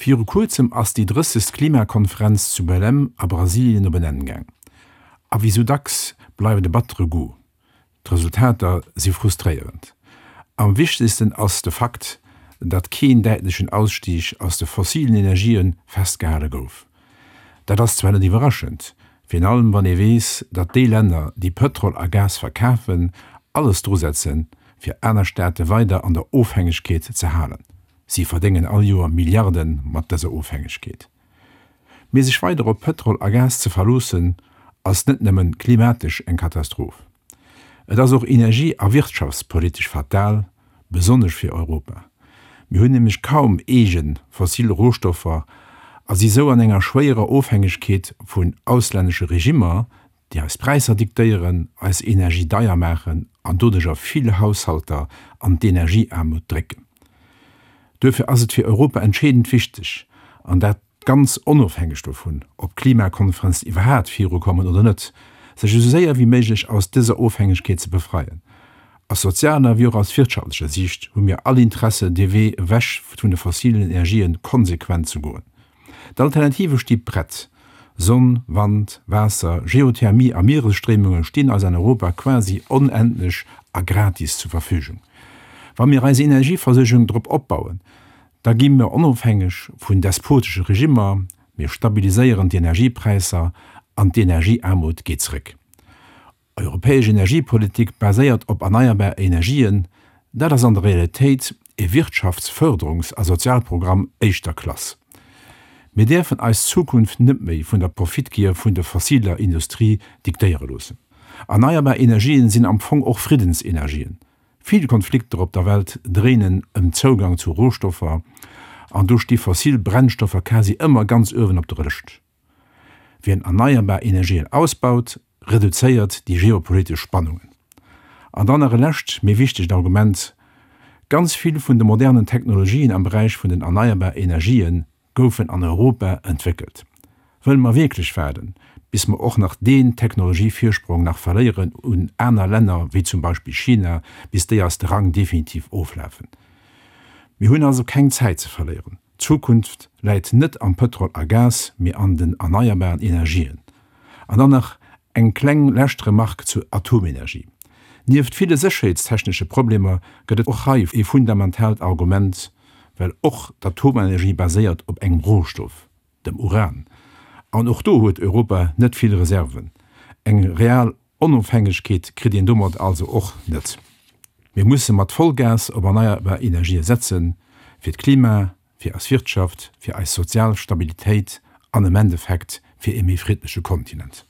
Viru kuerzem ass déi drëssegst Klimakonferenz zu Belém a Brasilien op en Enn gaang. A wéi sou dacks bleift e battere Goût. D'Resultater si frustréierend. Am wichtegsten ass de Fakt, datt keen däitlechen Ausstieg aus de fossilen Energië festgehale gouf. Dat ass zwar net iwwerraschend, virun allem wann ee weess, datt déi Länner, déi Pëtrol a Gas verkafen, alles drusetzen, fir aner Staate weider an der Ofhängegkeet ze halen. Si verdéngen all Joer Milliarde mat dëser Ofhängegkeet. Mee sech weider op Pëtrol a Gas ze verloossen, ass net nëmmen klimatesch eng Katastroph. Et ass och energie a wirtschaftspolitesch fatal, besonnesch fir Europa. Mir hunn nämlech kaum eege fossil Rohstoffer a si sou an enger schwéierer Ofhängegkeet vun auslännesche Regimmer, déi eis Präisser diktéieren, eis Energie deier maachen an doduercher vill Haushalter an d'Energieaarmut drécken. Duerfir ass et fir Europa entscheedend wichteg, an dat ganz onofhängeg dovun, ob d'Klimakonferenzen iwwerhaat virukommen oder net, sech esou séier wéi méiglech aus dëser Ofhängegkeet ze befreien. Aus sozialer wéi och aus wirtschaftlecher Siicht hu mir all Interesse, dee Wee ewech vun de fossilen Energien konsequent ze goen. D'Alternative sti prett, Sonn, Wand, Waasser, Geothermie a Mieresstréimunge stinn eis an Europa quasi onendlech a gratis zur Verfügung. Wa mir eis Energieversuergung drop opbauen, da gi mir onofhängeg vun despotesche Regimmer, mir stabiliséieren d'Energiepräisser an d'Energieaarmut geet zréck. Europäesch Energiepolitik baséiert op erneierbar Energien, dat ass an der Realitéit e Wirtschaftsförderungs a Sozialprogramm éischter Klass. Mir däerfen eis Zukunft net méi vun der Profitgier vun der fossiler Industrie diktéiere loossen. Erneierbar Energien sinn am Fong och Friddensenergien. Vill Konflikter op der Welt dréinen ëm Zougang zu Rohstoffer an do sti fossil Brennstoffer quasi ëmmer ganz uewen op der Lëscht. Wien erneierbar Energien ausbaut, reduzéiert déi geopolitesch Spannungen. An dann nach e lescht, mee wichtegt Argument, Ganz vill vun de modernen Technologien am Beräich vun den erneierbar Energië goufen an Europa entwéckelt. Wëlle mer wierklech waarden, bis mer och nach deen Technologievirsprong nach verléieren un aner Länner wéi zum Beispill China, bis déi eis de Rang definitiv oflafen? Mir hunn also keng Zäit ze verléieren. D'Zukunft läit net am Pëtrol a Gas, mee an den erneierbaren Energien. An dann nach eng kleng lescht Remark zur Atomenergie. Nieft ville sécherheetstechnesche Problemer gëtt et och hei ee fundamentaalt Argument, well och d'Atomenergie baséiert op engem Rohstoff, dem Uran. An och do huet Europa net vill Reserven. Eng real Onofhängegkeet kritt een domat also och net. Mir musse mat Vollgas op erneierbar Energië setzen, fir d'Klima, fir eis Wirtschaft, fir eis sozial Stabilitéit an am Endeffekt fir ee méi friddleche Kontinent.